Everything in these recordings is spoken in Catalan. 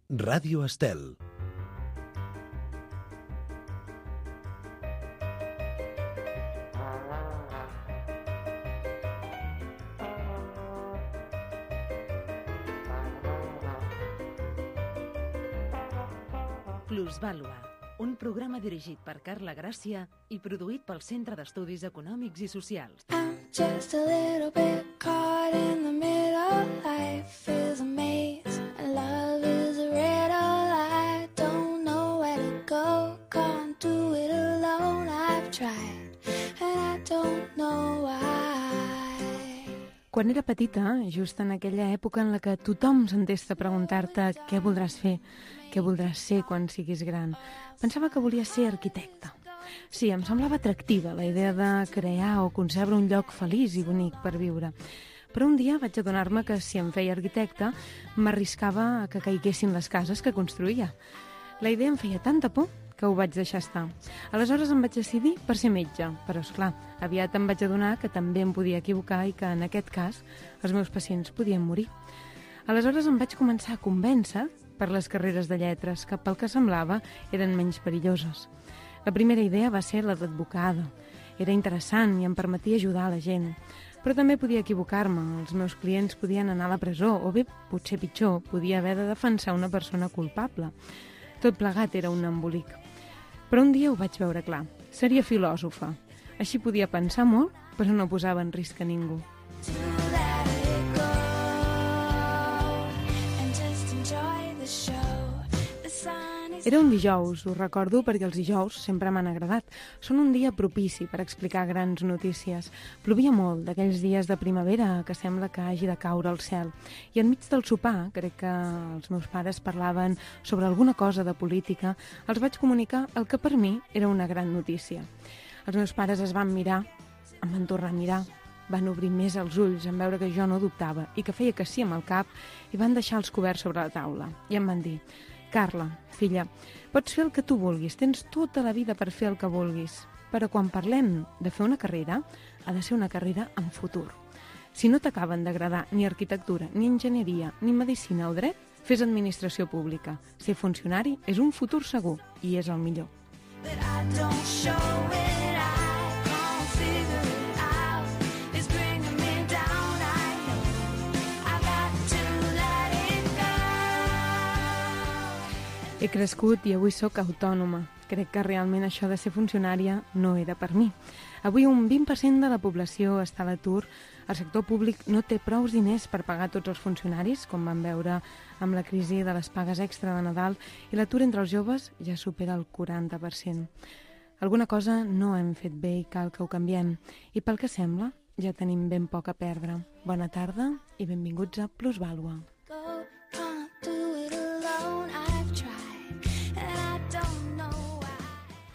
Ràdio Estel. Plusvàlua, un programa dirigit per Carla Gràcia i produït pel Centre d'Estudis Econòmics i Socials. I'm just a little bit caught in the middle. Life is a maze and love is a riddle. I don't know where to go, can't do it alone. I've tried and I don't know why. Quan era petita, just en aquella època en la que tothom s'entesta a preguntar-te què voldràs fer, què voldràs ser quan siguis gran, pensava que volia ser arquitecta. Sí, em semblava atractiva la idea de crear o concebre un lloc feliç i bonic per viure. Però un dia vaig adonar-me que si em feia arquitecta m'arriscava a que caiguessin les cases que construïa. La idea em feia tanta por que ho vaig deixar estar. Aleshores em vaig decidir per ser metge, però esclar, aviat em vaig adonar que també em podia equivocar i que en aquest cas els meus pacients podien morir. Aleshores em vaig començar a convèncer per les carreres de lletres, que pel que semblava eren menys perilloses. La primera idea va ser la d'advocada. Era interessant i em permetia ajudar a la gent. Però també podia equivocar-me, els meus clients podien anar a la presó, o bé, potser pitjor, podia haver de defensar una persona culpable. Tot plegat era un embolic. Però un dia ho vaig veure clar. Seria filòsofa. Així podia pensar molt, però no posava en risc a ningú. Era un dijous, ho recordo perquè els dijous sempre m'han agradat. Són un dia propici per explicar grans notícies. Plovia molt, d'aquells dies de primavera que sembla que hagi de caure el cel. I enmig del sopar, crec que els meus pares parlaven sobre alguna cosa de política, els vaig comunicar el que per mi era una gran notícia. Els meus pares es van mirar, em van tornar a mirar, van obrir més els ulls en veure que jo no dubtava i que feia que sí amb el cap i van deixar els coberts sobre la taula. I em van dir: Carla, filla, pots fer el que tu vulguis, tens tota la vida per fer el que vulguis, però quan parlem de fer una carrera, ha de ser una carrera amb futur. Si no t'acaben d'agradar ni arquitectura, ni enginyeria, ni medicina o dret, fes administració pública. Ser funcionari és un futur segur i és el millor. He crescut i avui sóc autònoma. Crec que realment això de ser funcionària no era per mi. Avui un 20% de la població està a l'atur. El sector públic no té prous diners per pagar tots els funcionaris, com vam veure amb la crisi de les pagues extra de Nadal, i l'atur entre els joves ja supera el 40%. Alguna cosa no hem fet bé i cal que ho canviem. I pel que sembla, ja tenim ben poc a perdre. Bona tarda i benvinguts a Plusvàlua.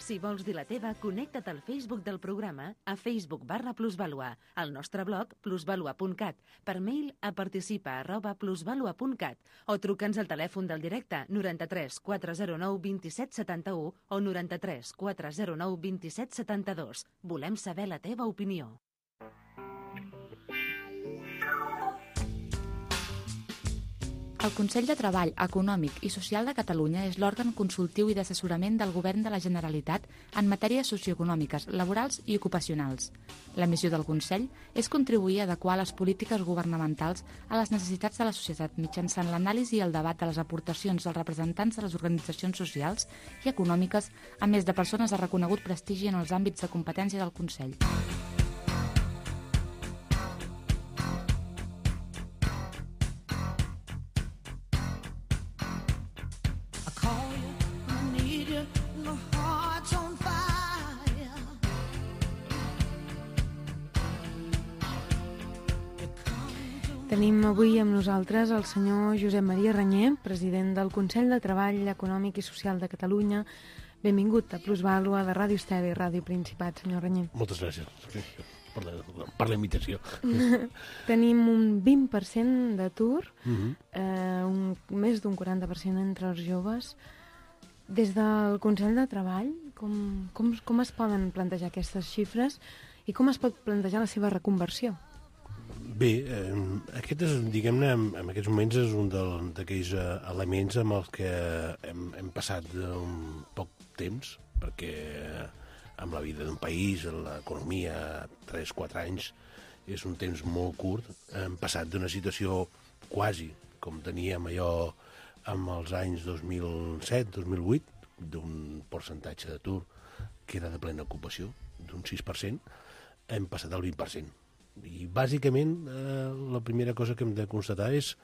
Si vols dir la teva, connecta't al Facebook del programa a Facebook/Plusvàlua, al nostre blog plusvalua.cat, per mail a participa@plusvalua.cat o truca'ns al telèfon del directe 93 409 27 71 o 93 409 27 72. Volem saber la teva opinió. El Consell de Treball Econòmic i Social de Catalunya és l'òrgan consultiu i d'assessorament del Govern de la Generalitat en matèries socioeconòmiques, laborals i ocupacionals. La missió del Consell és contribuir a adequar les polítiques governamentals a les necessitats de la societat mitjançant l'anàlisi i el debat de les aportacions dels representants de les organitzacions socials i econòmiques, a més de persones de reconegut prestigi en els àmbits de competència del Consell. Tenim avui amb nosaltres el senyor Josep Maria Reñé, president del Consell de Treball Econòmic i Social de Catalunya. Benvingut a Plusvàlua de Ràdio Estel i Ràdio Principat, senyor Reñé. Moltes gràcies per la invitació. Tenim un 20% d'atur, més d'un 40% entre els joves. Des del Consell de Treball, com es poden plantejar aquestes xifres i com es pot plantejar la seva reconversió? Bé, aquest és, diguem-ne, en aquests moments és un d'aquells elements amb els que hem passat un poc temps, perquè amb la vida d'un país, l'economia, 3-4 anys, és un temps molt curt. Hem passat d'una situació quasi com teníem allò amb els anys 2007-2008, d'un percentatge d'atur que era de plena ocupació, d'un 6%, hem passat al 20%. I bàsicament la primera cosa que hem de constatar és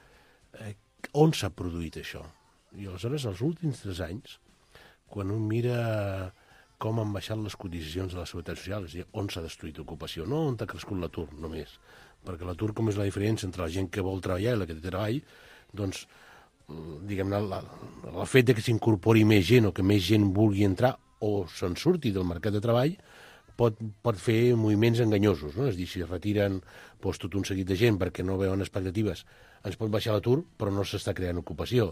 on s'ha produït això. I aleshores, els últims 3 anys, quan un mira com han baixat les cotitzacions de la Seguretat Social, és a dir, on s'ha destruït l'ocupació, no on ha crescut l'atur només, perquè l'atur, com és la diferència entre la gent que vol treballar i la que té treball, doncs, diguem-ne, el fet que s'incorpori més gent o que més gent vulgui entrar o se'n surti del mercat de treball pot fer moviments enganyosos, no? És a dir, si retiren tot un seguit de gent perquè no veuen expectatives, ens pot baixar l'atur, però no s'està creant ocupació.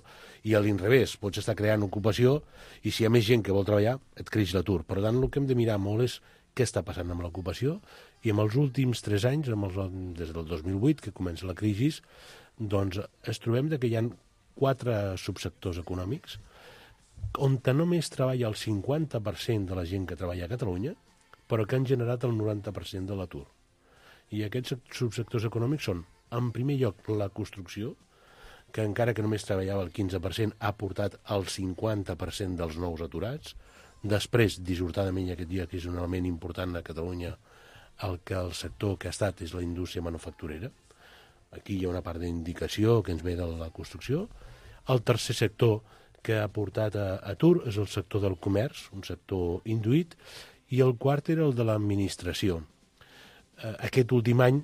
I a l'inrevés, pots estar creant ocupació i si hi ha més gent que vol treballar, et creix l'atur. Per tant, el que hem de mirar molt és què està passant amb l'ocupació i en els últims 3 anys, des del 2008, que comença la crisi, doncs es trobem que hi ha 4 subsectors econòmics on només treballa el 50% de la gent que treballa a Catalunya, però que han generat el 90% de l'atur. I aquests subsectors econòmics són, en primer lloc, la construcció, que encara que només treballava el 15%, ha portat el 50% dels nous aturats. Després, dissortadament, aquest dia, que és un element important a Catalunya, el sector que ha estat és la indústria manufacturera. Aquí hi ha una part d'indicació que ens ve de la construcció. El tercer sector que ha portat a atur és el sector del comerç, un sector induït, i el quart era el de l'administració. Aquest últim any,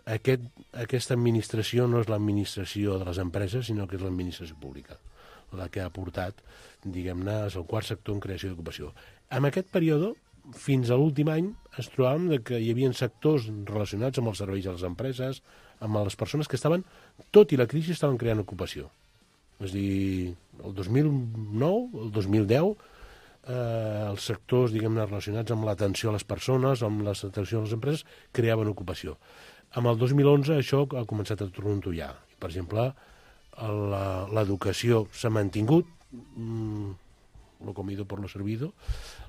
aquesta administració no és l'administració de les empreses, sinó que és l'administració pública, la que ha portat, diguem-ne, és el quart sector en creació d'ocupació. En aquest període, fins a l'últim any, es trobàvem que hi havia sectors relacionats amb els serveis a les empreses, amb les persones que estaven, tot i la crisi, estaven creant ocupació. És a dir, el 2009, el 2010, els sectors, diguem-ne, relacionats amb l'atenció a les persones, amb l'atenció a les empreses, creaven ocupació. Amb el 2011 això ha començat a trontollar. Per exemple, l'educació s'ha mantingut, lo comido por lo servido,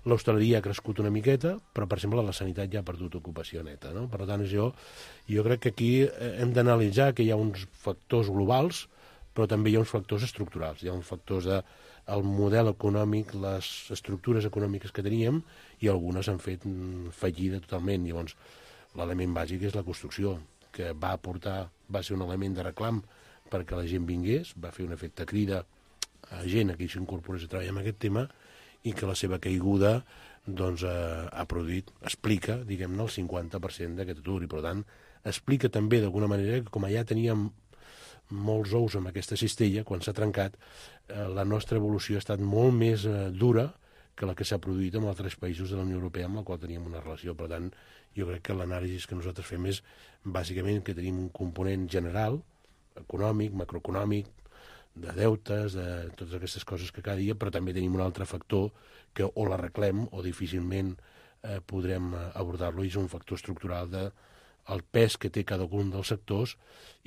l'hostaleria ha crescut una miqueta, però, per exemple, la sanitat ja ha perdut ocupació neta, no? Per tant, jo crec que aquí hem d'analitzar que hi ha uns factors globals, però també hi ha uns factors estructurals. Hi ha uns factors del model econòmic, les estructures econòmiques que teníem, i algunes han fet fallida totalment. Llavors, l'element bàsic és la construcció, que va ser un element de reclam perquè la gent vingués, va fer un efecte crida a gent que s'incorporés a treballar en aquest tema, i que la seva caiguda doncs, ha produït, explica, diguem-ne, el 50% d'aquest atur, i per tant, explica també d'alguna manera que com ja teníem molts ous amb aquesta cistella, quan s'ha trencat, la nostra evolució ha estat molt més dura que la que s'ha produït en altres països de la Unió Europea amb la qual teníem una relació. Per tant, jo crec que l'anàlisi que nosaltres fem és bàsicament que tenim un component general, econòmic, macroeconòmic, de deutes, de totes aquestes coses que cada dia, però també tenim un altre factor que o l'arreglem o difícilment podrem abordar-lo, i és un factor estructural el pes que té cada un dels sectors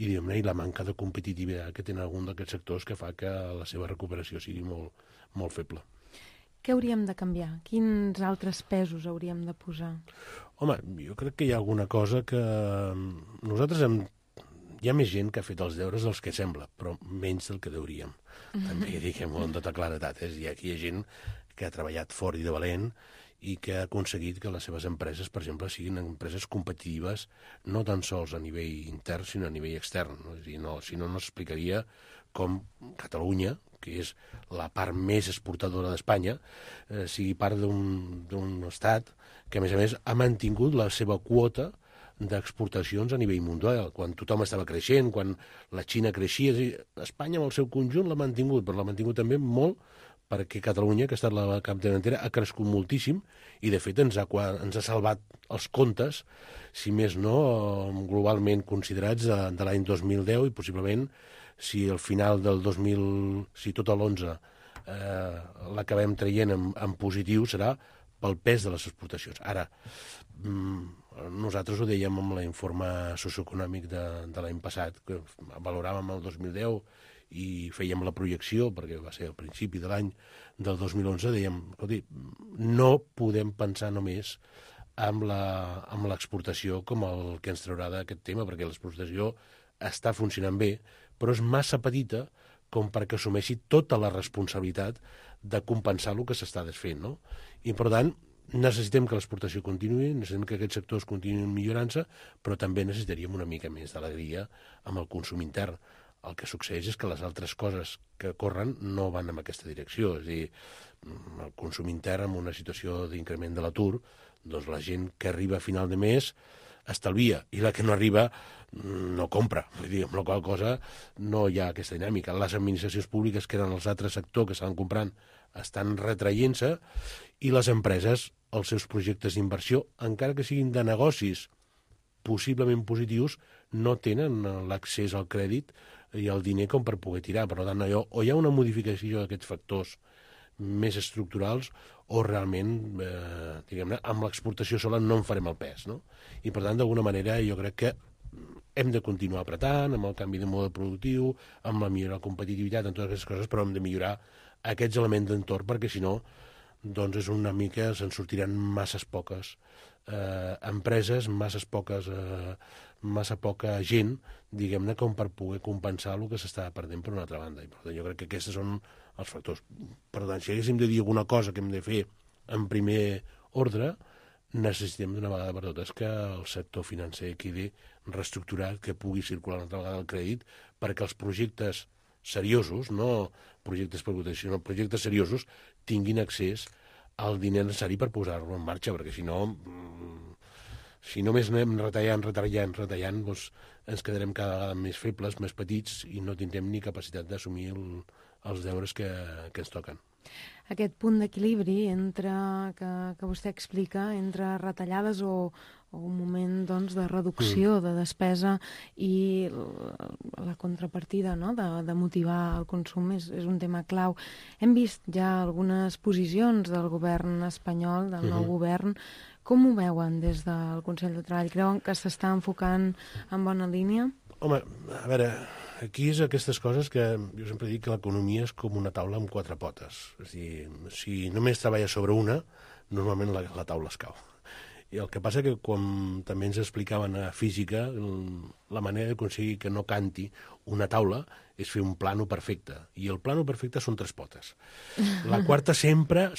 i la manca de competitivitat que tenen algun d'aquests sectors, que fa que la seva recuperació sigui molt, molt feble. Què hauríem de canviar? Quins altres pesos hauríem de posar? Home, jo crec que hi ha alguna cosa que nosaltres hi ha més gent que ha fet els deures dels que sembla, però menys del que deuríem. També diguem-ho amb tota claredat. Aquí hi ha gent que ha treballat fort i de valent i que ha aconseguit que les seves empreses, per exemple, siguin empreses competitives no tan sols a nivell intern, sinó a nivell extern. No? És a dir, si no s'explicaria com Catalunya, que és la part més exportadora d'Espanya, sigui part d'un estat que, a més, ha mantingut la seva quota d'exportacions a nivell mundial. Quan tothom estava creixent, quan la Xina creixia, Espanya amb el seu conjunt l'ha mantingut, però l'ha mantingut també molt perquè Catalunya, que ha estat la capdavantera, ha crescut moltíssim i, de fet, ens ha salvat els comptes, si més no, globalment considerats de l'any 2010, i possiblement, si al final del 2000, si tot l'11 l'acabem traient en positiu, serà pel pes de les exportacions. Ara, nosaltres ho dèiem amb l'informe socioeconòmic de l'any passat, que valoràvem el 2010 i fèiem la projecció, perquè va ser al principi de l'any del 2011, dèiem, escolti, no podem pensar només amb l'exportació com el que ens traurà d'aquest tema, perquè l'exportació està funcionant bé, però és massa petita com perquè assumeixi tota la responsabilitat de compensar el que s'està desfent, no? I, per tant, necessitem que l'exportació continuï, necessitem que aquests sectors continuïn millorant-se, però també necessitaríem una mica més d'alegria amb el consum intern. El que succeeix és que les altres coses que corren no van en aquesta direcció. És a dir, el consum intern en una situació d'increment de l'atur, doncs la gent que arriba a final de mes estalvia, i la que no arriba no compra. Vull dir, amb la qual cosa no hi ha aquesta dinàmica. Les administracions públiques, que eren els altres sectors que estaven comprant, estan retraient-se, i les empreses, els seus projectes d'inversió, encara que siguin de negocis possiblement positius, no tenen l'accés al crèdit i al diner com per poder tirar. Per tant, o hi ha una modificació d'aquests factors més estructurals, o realment, diguem-ne, amb l'exportació sola no en farem el pes, no? I, per tant, d'alguna manera, jo crec que hem de continuar apretant amb el canvi de model productiu, amb la millora de la competitivitat, en totes aquestes coses, però hem de millorar aquests elements d'entorn, perquè si no, doncs és una mica, se'n sortiran masses poques empreses, massa poca gent, diguem-ne, com per poder compensar el que s'està perdent per una altra banda. I per tant, jo crec que aquests són els factors. Per tant, si haguéssim de dir alguna cosa que hem de fer en primer ordre, necessitem d'una vegada per totes que el sector financer quedi reestructurat, que pugui circular una altra vegada el crèdit, perquè els projectes seriosos, no projectes per protecció, sinó projectes seriosos, tinguin accés al diner necessari per posar-lo en marxa, perquè si no només anem retallant, doncs ens quedarem cada vegada més febles, més petits, i no tindrem ni capacitat d'assumir els deures que ens toquen. Aquest punt d'equilibri que vostè explica entre retallades o un moment, doncs, de reducció de despesa i la contrapartida, no?, de motivar el consum és un tema clau. Hem vist ja algunes posicions del govern espanyol, del nou govern. Com ho veuen des del Consell de Treball? Creuen que s'està enfocant en bona línia? Home, a veure, aquí és aquestes coses que jo sempre dic que l'economia és com una taula amb 4 potes. És a dir, si només treballa sobre una, normalment la taula es cau. I el que passa que quan també ens explicaven a física, la manera d'aconseguir que no canti una taula és fer un plano perfecte. I el plano perfecte són 3 potes. La quarta sempre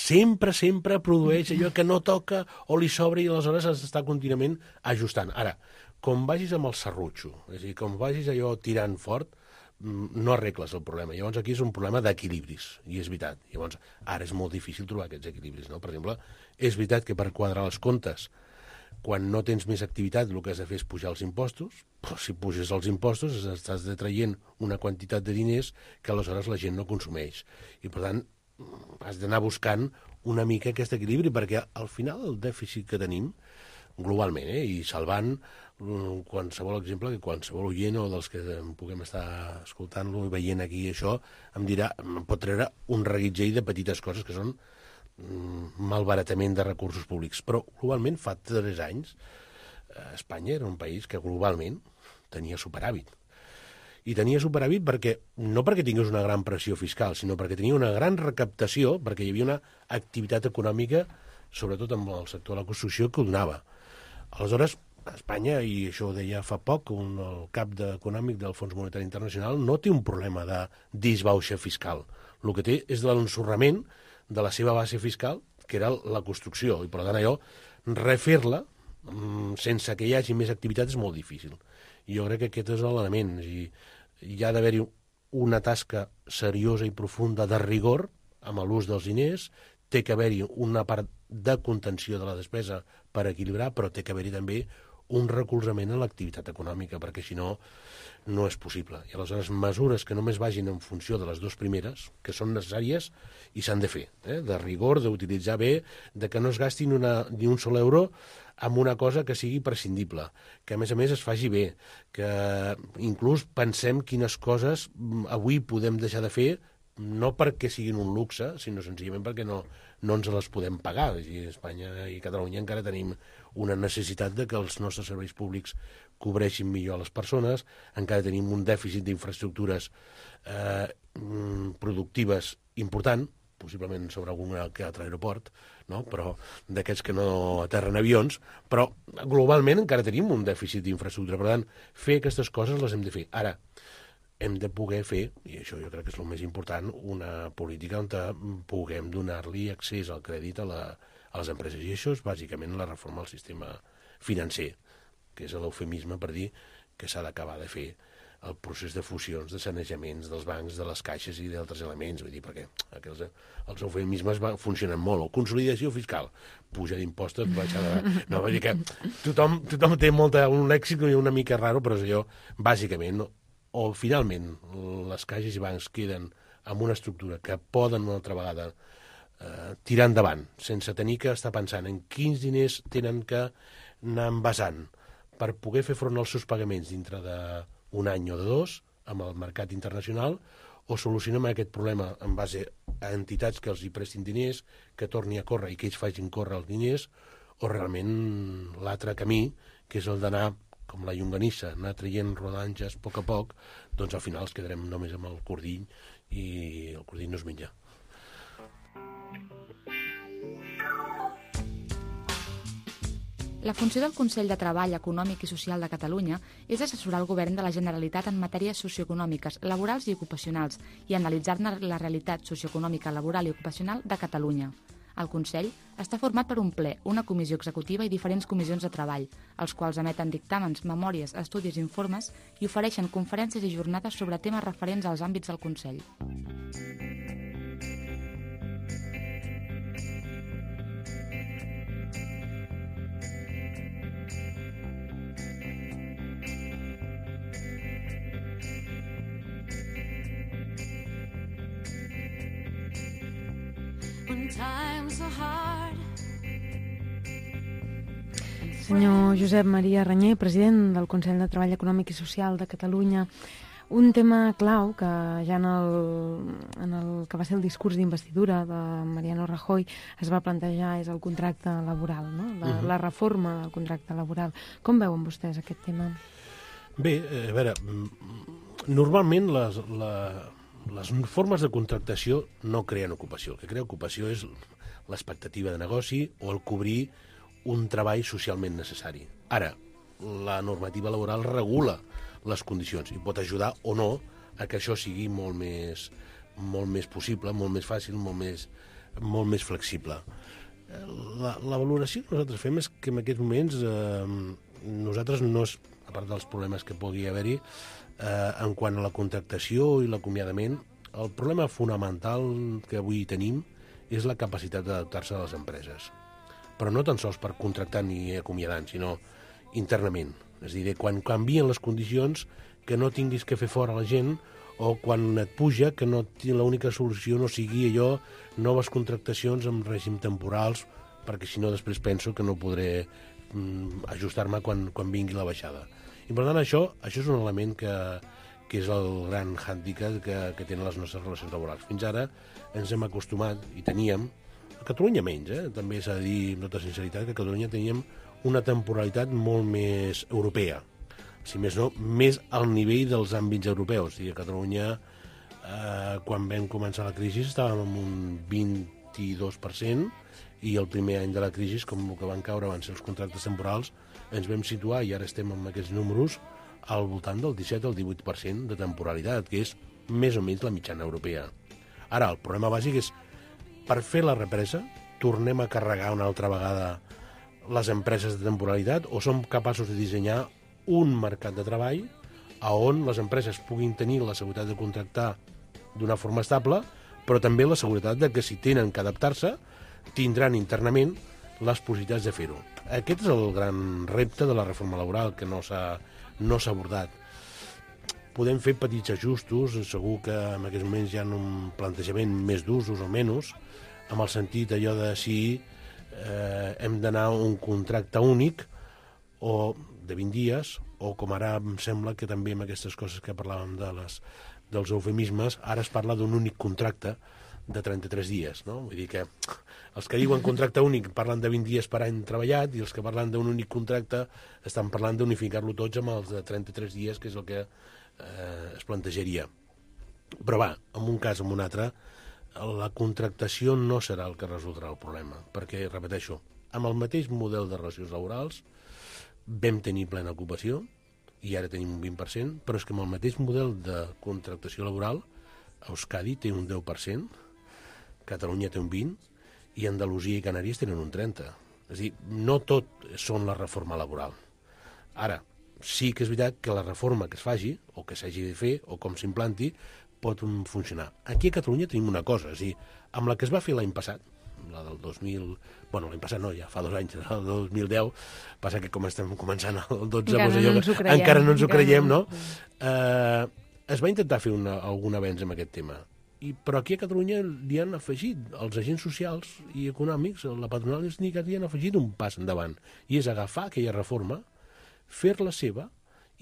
produeix allò que no toca o li sobra, i aleshores s'està contínuament ajustant. Ara, com vagis amb el serrutxo, és a dir, com vagis allò tirant fort, no arregles el problema. Llavors aquí és un problema d'equilibris, i és veritat. Llavors ara és molt difícil trobar aquests equilibris, no? Per exemple, és veritat que per quadrar els comptes, quan no tens més activitat, el que has de fer és pujar els impostos, però si puges els impostos estàs detraient una quantitat de diners que aleshores la gent no consumeix. I per tant has d'anar buscant una mica aquest equilibri, perquè al final el dèficit que tenim globalment, i salvant qualsevol exemple, que qualsevol oient o dels que puguem estar escoltant-lo i veient aquí això, em pot treure un reguitzell de petites coses que són malbaratament de recursos públics. Però globalment fa 3 anys Espanya era un país que globalment tenia superàvit. I tenia superàvit no perquè tingués una gran pressió fiscal, sinó perquè tenia una gran recaptació, perquè hi havia una activitat econòmica, sobretot amb el sector de la construcció, que ho donava. Aleshores, Espanya, i això ho deia fa poc, el cap econòmic del Fons Monetari Internacional, no té un problema de disbauxa fiscal. El que té és l'ensorrament de la seva base fiscal, que era la construcció, i per tant allò, refer-la sense que hi hagi més activitat és molt difícil. I jo crec que aquest és l'element. Hi ha d'haver-hi una tasca seriosa i profunda de rigor amb l'ús dels diners, té que haver-hi una part de contenció de la despesa per equilibrar, però té que haver-hi també un recolzament a l'activitat econòmica, perquè si no, no és possible. I aleshores mesures que només vagin en funció de les 2 primeres, que són necessàries i s'han de fer, de rigor, d'utilitzar bé, de que no es gasti ni un sol euro amb una cosa que sigui prescindible, que a més es faci bé, que inclús pensem quines coses avui podem deixar de fer no perquè siguin un luxe, sinó senzillament perquè no ens les podem pagar. I Espanya i Catalunya encara tenim una necessitat de que els nostres serveis públics cobreixin millor a les persones, encara tenim un dèficit d'infraestructures productives important, possiblement sobre algun que altre aeroport, no? Però d'aquests que no aterren avions, però globalment encara tenim un dèficit d'infraestructura. Per tant, fer aquestes coses les hem de fer. Ara, hem de poder fer, i això jo crec que és el més important, una política on puguem donar-li accés al crèdit a les empreses. I això és bàsicament la reforma del sistema financer, que és l'eufemisme per dir que s'ha d'acabar de fer el procés de fusions, de sanejaments dels bancs, de les caixes i d'altres elements. Vull dir, perquè els eufemismes funcionen molt. Consolidació fiscal, puja d'impostos, baixada... No, vull dir que tothom té un lèxic una mica raro, però és allò, bàsicament, o finalment les caixes i bancs queden amb una estructura que poden una altra vegada tirar endavant, sense tenir que estar pensant en quins diners tenen que anar envasant per poder fer front als seus pagaments dintre d'un any o de dos amb el mercat internacional, o solucionem aquest problema en base a entitats que els hi prestin diners, que torni a córrer i que ells facin córrer els diners, o realment l'altre camí, que és el d'anar com la llonganissa, anar traient rodanges a poc, doncs al final ens quedarem només amb el cordill i el cordill no es menja. La funció del Consell de Treball Econòmic i Social de Catalunya és assessorar el Govern de la Generalitat en matèries socioeconòmiques, laborals i ocupacionals i analitzar-ne la realitat socioeconòmica, laboral i ocupacional de Catalunya. El Consell està format per un ple, una comissió executiva i diferents comissions de treball, els quals emeten dictàmens, memòries, estudis i informes i ofereixen conferències i jornades sobre temes referents als àmbits del Consell. Senyor Josep Maria Reñé, president del Consell de Treball Econòmic i Social de Catalunya, un tema clau que ja en el que va ser el discurs d'investidura de Mariano Rajoy es va plantejar és el contracte laboral, no? La reforma del contracte laboral. Com veuen vostès aquest tema? Bé, a veure, normalment les formes de contractació no creen ocupació. El que crea ocupació és l'expectativa de negoci o el cobrir un treball socialment necessari. Ara, la normativa laboral regula les condicions i pot ajudar o no a que això sigui molt més possible, molt més fàcil, molt més flexible. La valoració que nosaltres fem és que en aquests moments nosaltres no és, a part dels problemes que pugui haver-hi, en quant a la contractació i l'acomiadament, el problema fonamental que avui tenim és la capacitat d'adaptar-se a les empreses. Però no tan sols per contractar ni acomiadant, sinó internament. És a dir, quan canvien les condicions, que no tinguis que fer fora la gent, o quan et puja, que l'única solució no sigui allò, noves contractacions amb règim temporals, perquè si no després penso que no podré ajustar-me quan vingui la baixada. I per tant això és un element que és el gran hàndicap que tenen les nostres relacions laborals. Fins ara ens hem acostumat, i teníem, a Catalunya menys, també s'ha de dir amb tota sinceritat que a Catalunya teníem una temporalitat molt més europea, si més no, més al nivell dels àmbits europeus. I a Catalunya, quan vam començar la crisi, estàvem en un 22%, i el primer any de la crisi, com el que van caure van ser els contractes temporals, ens vam situar, i ara estem amb aquests números, al voltant del 17 al 18% de temporalitat, que és més o menys la mitjana europea. Ara, el problema bàsic és, per fer la represa, tornem a carregar una altra vegada les empreses de temporalitat, o som capaços de dissenyar un mercat de treball on les empreses puguin tenir la seguretat de contractar d'una forma estable, però també la seguretat de que si tenen que adaptar-se, tindran internament les possibilitats de fer-ho. Aquest és el gran repte de la reforma laboral, que no s'ha abordat. Podem fer petits ajustos, segur que en aquests moments hi ha un plantejament més d'usos o menys, amb el sentit allò de si hem d'anar a un contracte únic o de 20 dies, o com ara em sembla que també amb aquestes coses que parlàvem de dels eufemismes, ara es parla d'un únic contracte de 33 dies, no? Vull dir que els que diuen contracte únic parlen de 20 dies per any treballat i els que parlen d'un únic contracte estan parlant d'unificar-lo tots amb els de 33 dies, que és el que es plantejaria. Però va, en un cas o en un altre, la contractació no serà el que resoldrà el problema, perquè, repeteixo, amb el mateix model de relacions laborals vam tenir plena ocupació i ara tenim un 20%, però és que amb el mateix model de contractació laboral Euskadi té un 10%, Catalunya té un 20% i Andalusia i Canàries tenen un 30%. És a dir, no tot són la reforma laboral. Ara, sí que és veritat que la reforma que es faci, o que s'hagi de fer, o com s'implanti, pot funcionar. Aquí a Catalunya tenim una cosa, és a dir, amb la que es va fer l'any passat, la del 2000... Bueno, l'any passat no, ja fa 2 anys, la del 2010, passa que com estem començant el 12, encara no ens ho creiem, no? Es va intentar fer algun avenç en aquest tema, però aquí a Catalunya li han afegit, els agents socials i econòmics, la patronal i els sindicats li han afegit un pas endavant, i és agafar aquella reforma, fer-la seva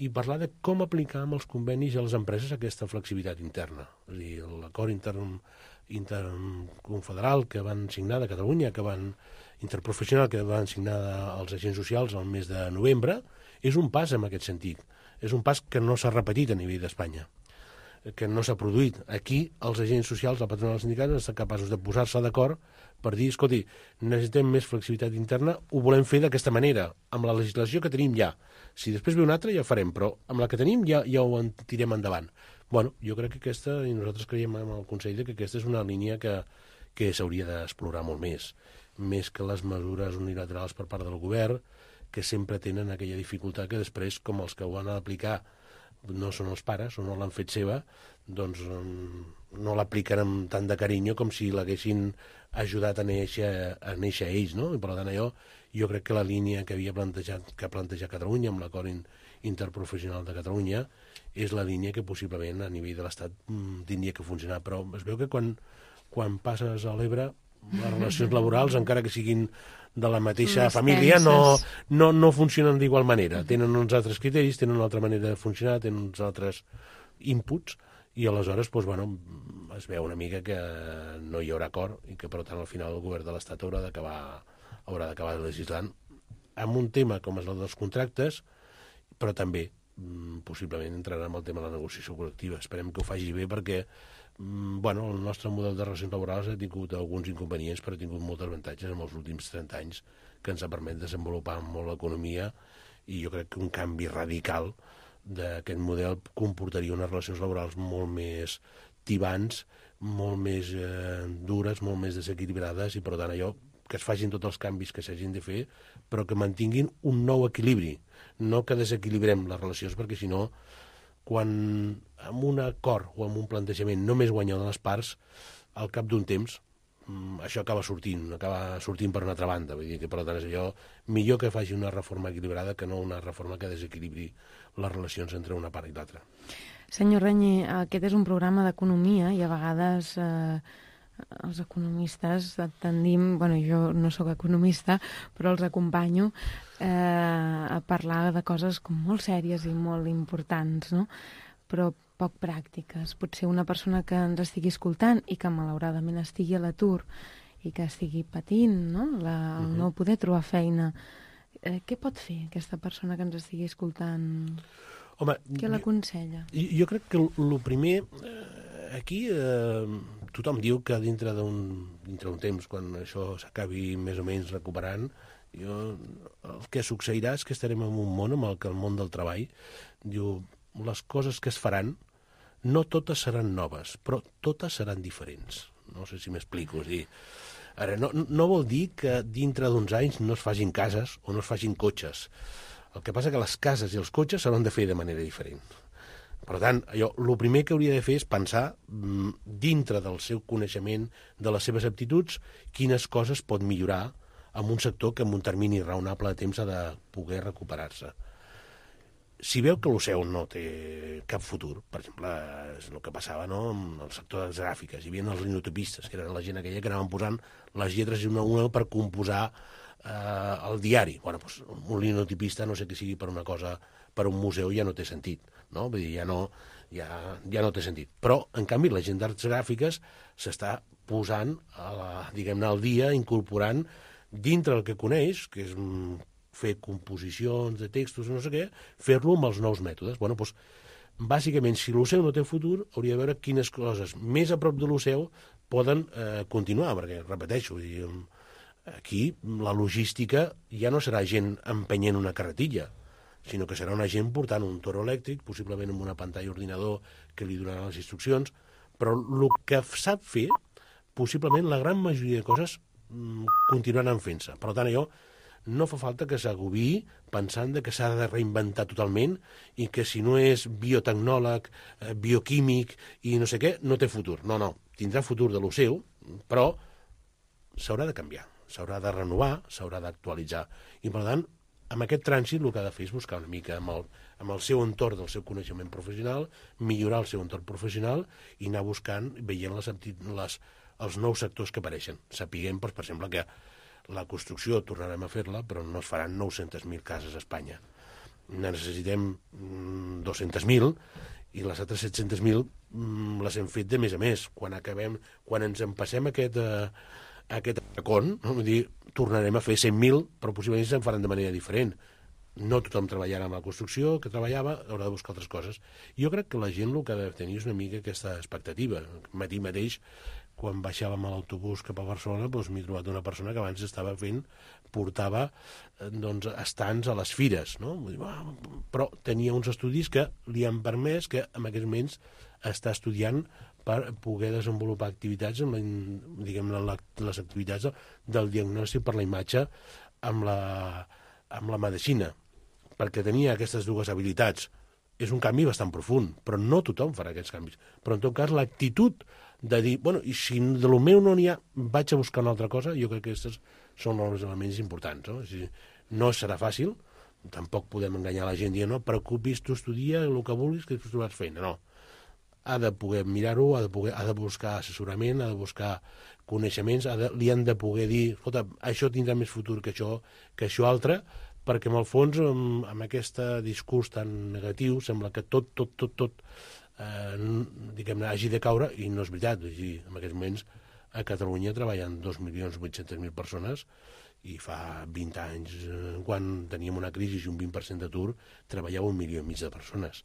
i parlar de com aplicar amb els convenis a les empreses aquesta flexibilitat interna. És a dir, l'acord interconfederal que van signar de Catalunya, interprofessional que van signar els agents socials el mes de novembre, és un pas en aquest sentit. És un pas que no s'ha repetit a nivell d'Espanya, que no s'ha produït. Aquí els agents socials, la patronal dels sindicats, estan capaços de posar-se d'acord per dir, escolti, necessitem més flexibilitat interna, ho volem fer d'aquesta manera, amb la legislació que tenim ja. Si després ve una altra ja ho farem, però amb la que tenim ja ho tirem endavant. Bueno, jo crec que aquesta, i nosaltres creiem amb el Consell, que aquesta és una línia que s'hauria d'explorar molt més que les mesures unilaterals per part del govern, que sempre tenen aquella dificultat que després, com els que ho han d'aplicar no són els pares o no l'han fet seva, doncs no l'apliquen amb tant de carinyo com si l'haguessin ajudat a néixer ells, no? I per tant jo crec que la línia que ha plantejat Catalunya amb l'acord interprofessional de Catalunya és la línia que possiblement a nivell de l'Estat tindria que funcionar, però es veu que quan passes a l'Ebre les relacions laborals, encara que siguin de la mateixa família, no funcionen d'igual manera. Tenen uns altres criteris, tenen una altra manera de funcionar, tenen uns altres inputs, i aleshores es veu una mica que no hi haurà acord i que, per tant, al final el govern de l'Estat haurà d'acabar legislant amb un tema com és el dels contractes, però també possiblement entrarà en el tema de la negociació col·lectiva. Esperem que ho faci bé perquè el nostre model de relacions laborals ha tingut alguns inconvenients, però ha tingut molts avantatges en els últims 30 anys que ens ha permès desenvolupar molt l'economia, i jo crec que un canvi radical d'aquest model comportaria unes relacions laborals molt més tibants, molt més dures, molt més desequilibrades, i per tant que es facin tots els canvis que s'hagin de fer, però que mantinguin un nou equilibri, no que desequilibrem les relacions, perquè si no, quan amb un acord o amb un plantejament només guanyen les parts, al cap d'un temps això acaba sortint per una altra banda. Vull dir que, per tant, és allò millor que faci una reforma equilibrada que no una reforma que desequilibri les relacions entre una part i l'altra. Senyor Reñé, aquest és un programa d'economia i a vegades els economistes tendim, jo no sóc economista, però els acompanyo a parlar de coses com molt sèries i molt importants, no? Però poc pràctiques. Potser una persona que ens estigui escoltant i que malauradament estigui a l'atur i que estigui patint, no? El no poder trobar feina. Què pot fer aquesta persona que ens estigui escoltant? Home, què l'aconsella? Jo crec que el primer... Aquí tothom diu que dintre d'un temps, quan això s'acabi més o menys recuperant, el que succeirà és que estarem en un món amb el que el món del treball diu les coses que es faran no totes seran noves, però totes seran diferents. No sé si m'explico. És dir, ara, no vol dir que dintre d'uns anys no es facin cases o no es facin cotxes. El que passa que les cases i els cotxes s'hauran de fer de manera diferent. Per tant, el primer que hauria de fer és pensar dintre del seu coneixement, de les seves aptituds, quines coses pot millorar en un sector que en un termini raonable de temps ha de poder recuperar-se. Si veu que l'OCEU no té cap futur, per exemple, és el que passava amb el sector de les gràfiques, hi havia els linotypistes, que eren la gent aquella que anaven posant les lletres una a una per composar el diari. Un linotypista, no sé què sigui per una cosa, per un museu ja no té sentit. no? Vull dir, ja no té sentit. Però, en canvi, la gent d'arts gràfiques s'està posant, diguem-ne, al dia, incorporant dintre el que coneix, que és fer composicions de textos, no sé què, fer-lo amb els nous mètodes. Bueno, doncs, bàsicament, si l'Oceu no té futur, hauria de veure quines coses més a prop de l'Oceu poden continuar, perquè, repeteixo, aquí la logística ja no serà gent empenyent una carretilla, sinó que serà una gent portant un toro elèctric, possiblement amb una pantalla ordinador que li donarà les instruccions, però el que sap fer, possiblement la gran majoria de coses continuaran fent-se. Per tant, allò no fa falta que s'agobiï pensant que s'ha de reinventar totalment i que si no és biotecnòleg, bioquímic i no sé què, no té futur. No, tindrà futur de lo seu, però s'haurà de canviar, s'haurà de renovar, s'haurà d'actualitzar. I, per tant, amb aquest trànsit el que ha de fer és buscar una mica amb el seu entorn del seu coneixement professional, millorar el seu entorn professional i anar buscant, veient els nous sectors que apareixen. Sapiguem, per exemple, que la construcció tornarem a fer-la, però no es faran 900.000 cases a Espanya. Necessitem 200.000 i les altres 700.000 les hem fet de més a més. Quan ens empassem aquest racón, no? Vull dir, tornarem a fer 100.000, però possiblement se'n faran de manera diferent. No tothom treballarà amb la construcció que treballava, haurà de buscar altres coses. Jo crec que la gent el que ha de tenir és una mica aquesta expectativa. Matí mateix, quan baixàvem a l'autobús cap a Barcelona, doncs m'he trobat una persona que abans portava estants a les fires, no? Però tenia uns estudis que li han permès que en aquests moments està estudiant per poder desenvolupar activitats, les activitats del diagnòstic per la imatge amb la medicina, perquè tenia aquestes dues habilitats. És un canvi bastant profund, però no tothom farà aquests canvis. Però, en tot cas, l'actitud de dir, bueno, i si de lo meu no n'hi ha, vaig a buscar una altra cosa, jo crec que aquests són els elements importants. No? No serà fàcil, tampoc podem enganyar la gent dient, no, preocupis, tu estudia el que vulguis, que després trobaràs feina. No. Ha de poder mirar-ho, ha de buscar assessorament, ha de buscar coneixements, li han de poder dir, escolta, això tindrà més futur que això altre, perquè en el fons, amb aquest discurs tan negatiu, sembla que tot diguem-ne, hagi de caure, i no és veritat. En aquests moments a Catalunya treballen 2.800.000 persones, i fa 20 anys, quan teníem una crisi i un 20% d'atur, treballava 1,5 milió de persones.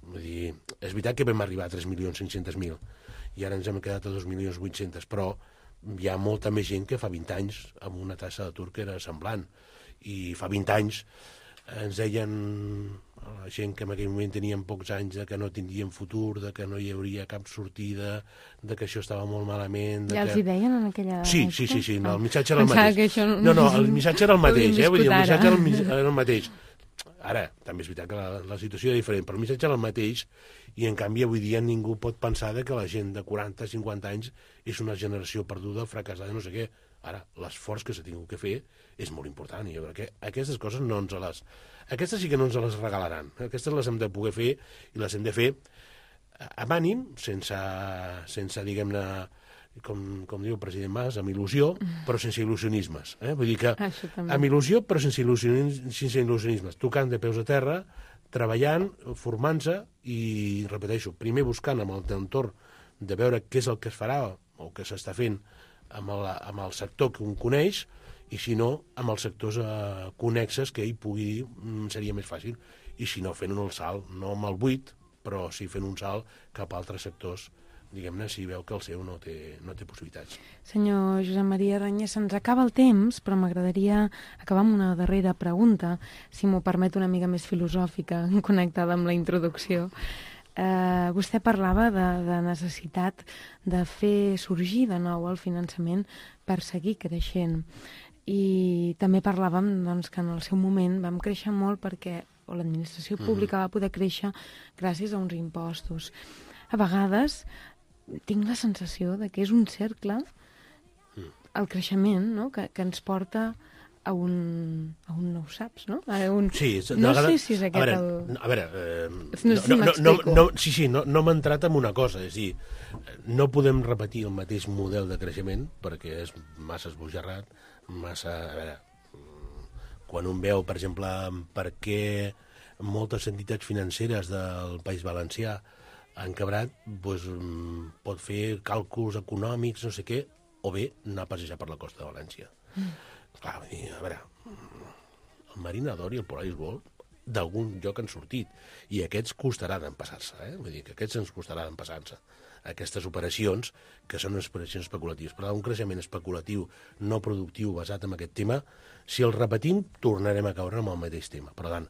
Vull dir, és veritat que vam arribar a 3.500.000 i ara ens hem quedat a 2.800.000, però hi ha molta més gent que fa 20 anys amb una taxa d'atur que era semblant. I fa 20 anys ens deien la gent que en aquell moment tenien pocs anys de que no tindrien futur, de que no hi hauria cap sortida, de que això estava molt malament... Ja els hi deien en aquella època? Sí, no, el missatge era el mateix. No, el missatge era el mateix, vull dir, el missatge era el mateix. Ara, també és veritat que la situació era diferent, però el missatge era el mateix, i en canvi avui dia ningú pot pensar que la gent de 40-50 anys és una generació perduda, fracassada, no sé què. Ara, l'esforç que s'ha tingut que fer és molt important, i jo crec que aquestes coses aquestes sí que no ens les regalaran. Aquestes les hem de poder fer, i les hem de fer amb ànim, sense diguem-ne, com diu el president Mas, amb il·lusió, però sense il·lusionismes. Vull dir que amb il·lusió, però sense il·lusionismes. Tocant de peus a terra, treballant, formant-se, i, repeteixo, primer buscant amb el entorn de veure què és el que es farà o què s'està fent amb el sector que un coneix, i si no, amb els sectors connexes que ell pugui dir, seria més fàcil. I si no, fent un salt, no amb el buit, però sí fent un salt cap a altres sectors, diguem-ne, si veu que el seu no té possibilitats. Senyor Josep Maria Renyes, se'ns acaba el temps, però m'agradaria acabar amb una darrera pregunta, si m'ho permet, una mica més filosòfica, connectada amb la introducció. Vostè parlava de necessitat de fer sorgir de nou el finançament per seguir creixent, i també parlàvem que en el seu moment vam créixer molt perquè l'administració pública va poder créixer gràcies a uns impostos. A vegades tinc la sensació de que és un cercle, el creixement, no? que ens porta a un no ho saps, no? Sí, no sé si és aquest a veure, no sé si m'explico. Sí, no m'ha entrat en una cosa, és a dir, no podem repetir el mateix model de creixement perquè és massa esbojarrat, massa... A veure, quan un veu, per exemple, per què moltes entitats financeres del País Valencià han quebrat, doncs, pot fer càlculs econòmics, no sé què, o bé anar a passejar per la costa de València. Clar, vull dir, a veure, el Marina d'Or i el Polaris Gold d'algun lloc han sortit, i aquests costaran empassar-se, vull dir que aquests ens costaran empassar-se. Aquestes operacions, que són unes operacions especulatives, però un creixement especulatiu no productiu basat en aquest tema, si el repetim, tornarem a caure amb el mateix tema. Per tant,